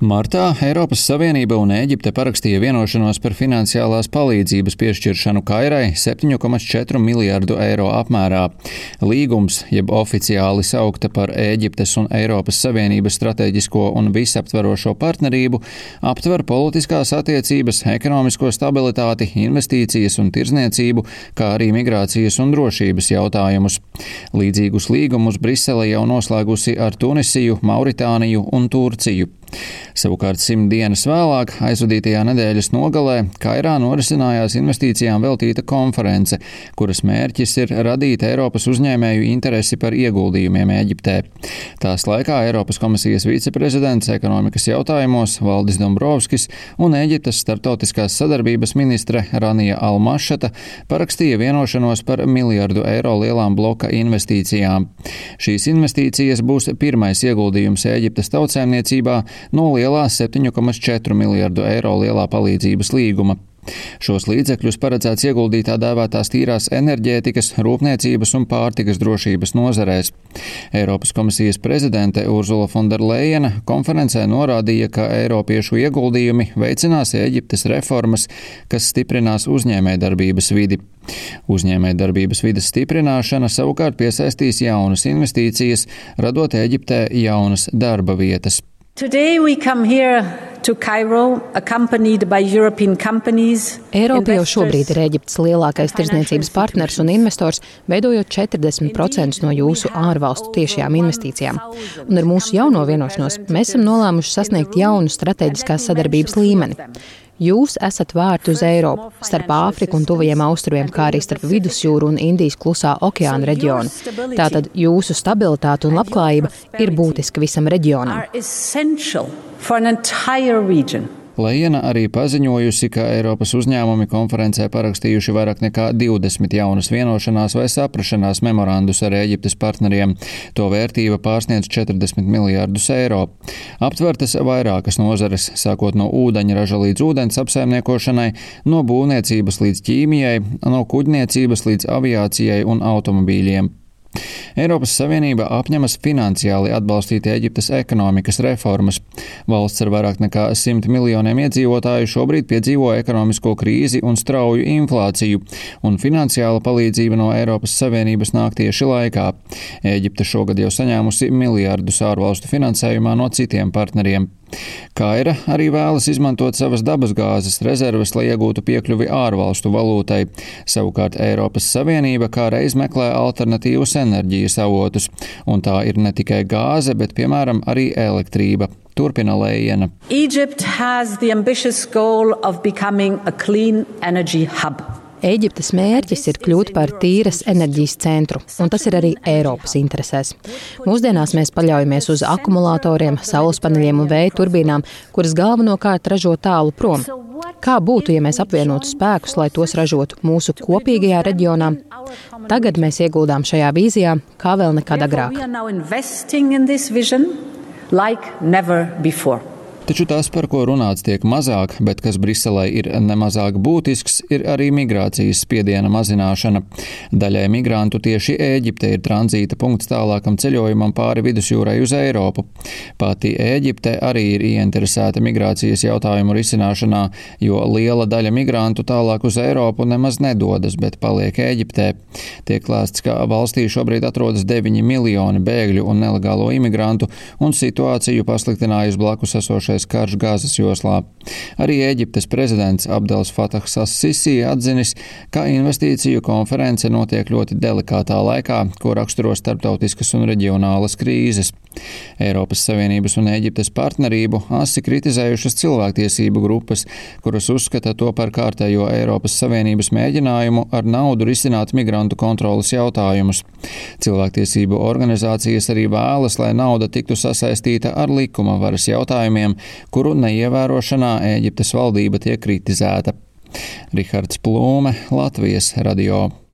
Martā Eiropas Savienība un Ēģipte parakstīja vienošanos par finansiālās palīdzības piešķiršanu Kairai 7,4 miljārdu eiro apmērā. Līgums, jeb oficiāli saukta par Ēģiptes un Eiropas Savienības strateģisko un visaptverošo partnerību, aptver politiskās attiecības, ekonomisko stabilitāti, investīcijas un tirzniecību, kā arī migrācijas un drošības jautājumus. Līdzīgus līgumus Brisele jau noslēgusi ar Tunisiju, Mauritāniju un Turciju. Savukārt 100 dienas vēlāk, aizvadītajā nedēļas nogalē, Kairā norisinājās investīcijām veltīta konference, kuras mērķis ir radīt Eiropas uzņēmēju interesi par ieguldījumiem Ēģiptē. Tās laikā Eiropas komisijas viceprezidents ekonomikas jautājumos Valdis Dombrovskis un Ēģiptes starptautiskās sadarbības ministre Ranija Al-Mašata parakstīja vienošanos par miljardu eiro lielām bloka investīcijām. Šīs investīcijas būs pirmais ieguldījums Ēģiptes tautsēmniecībā no lielā 7,4 miljardu eiro lielā palīdzības līguma. Šos līdzekļus paredzēts ieguldīt tā dēvētās tīrās enerģētikas, rūpniecības un pārtikas drošības nozarēs. Eiropas komisijas prezidente Ursula von der Leyena konferencē norādīja, ka eiropiešu ieguldījumi veicinās Ēģiptes reformas, kas stiprinās uzņēmējdarbības vidi. Uzņēmējdarbības vides stiprināšana savukārt piesaistīs jaunas investīcijas, radot Ēģiptē jaunas darba vietas. Today we come here to Cairo, accompanied by European companies. Eiropa jau šobrīd ir Ēģiptes lielākais tirdzniecības partners un investors, veidojot 40% no jūsu ārvalstu tiešajām investīcijām. Un ar mūsu jauno vienošanos mēs esam nolēmuši sasniegt jaunu strateģiskās sadarbības līmeni. Jūs esat vārti uz Eiropu, starp Āfriku un Tuvajiem austrumiem, kā arī starp Vidusjūru un Indijas klusā okeāna reģionu. Tātad jūsu stabilitāte un labklājība ir būtiska visam reģionam. Lejena arī paziņojusi, ka Eiropas uzņēmumi konferencē parakstījuši vairāk nekā 20 jaunas vienošanās vai saprašanās memorandus ar Ēģiptes partneriem. To vērtība pārsniedz 40 miljārdus eiro. Aptvertas vairākas nozares, sākot no ūdeņraža līdz ūdens apsaimniekošanai, no būvniecības līdz ķīmijai, no kuģniecības līdz aviācijai un automobīļiem. Eiropas Savienība apņemas finansiāli atbalstīt Ēģiptes ekonomikas reformas. Valsts ar vairāk nekā 100 miljoniem iedzīvotāju šobrīd piedzīvo ekonomisko krīzi un strauju inflāciju, un finansiāla palīdzība no Eiropas Savienības nāk tieši laikā. Ēģipte šogad jau saņēmusi miljardus ārvalstu finansējumā no citiem partneriem. Kaira arī vēlas izmantot savas dabasgāzes rezerves, lai iegūtu piekļuvi ārvalstu valūtai. Savukārt Eiropas Savienība kā reiz meklē alternatīvus enerģijas avotus, un tā ir ne tikai gāze, bet piemēram arī elektrība. Turpina Lejena. Egypt has the ambitious goal of becoming a clean energy hub. Ēģiptes mērķis ir kļūt par tīras enerģijas centru, un tas ir arī Eiropas interesēs. Mūsdienās mēs paļaujamies uz akumulatoriem, saules paneļiem un vēja turbīnām, kuras galvenokārt ražo tālu prom. Kā būtu, ja mēs apvienotu spēkus, lai tos ražotu mūsu kopīgajā reģionā? Tagad mēs ieguldām šajā vīzijā, kā vēl nekad agrāk. Taču tas, par ko runāts tiek mazāk, bet kas Briselē ir nemazāk būtisks, ir arī migrācijas spiediena mazināšana. Daļai migrantu tieši Ēģipte ir tranzīta punkts tālākam ceļojumam pāri Vidusjūrai uz Eiropu. Pati Ēģipte arī ir ieinteresēta migrācijas jautājumu risināšanā, jo liela daļa migrantu tālāk uz Eiropu nemaz nedodas, bet paliek Ēģiptē. Tiek lēsts, ka valstī šobrīd atrodas 9 miljoni bēgļu un nelegālo imigrantu, un situāciju pasliktinājusi blakus esošais karš Gazas joslā. Arī Ēģiptes prezidents Abdels Fatahs as-Sisi atzinis, ka investīciju konference notiek ļoti delikātā laikā, ko raksturo starptautiskas un reģionālas krīzes. Eiropas Savienības un Ēģiptes partnerību asi kritizējušas cilvēktiesību grupas, kuras uzskata to par kārtējo Eiropas Savienības mēģinājumu ar naudu risināt migrantu kontrolas jautājumus. Cilvēktiesību organizācijas arī vēlas, lai nauda tiktu sasaistīta ar likuma varas jautājumiem, kuru neievērošanā Ēģiptes valdība tiek kritizēta. Rihards Plūme, Latvijas radio.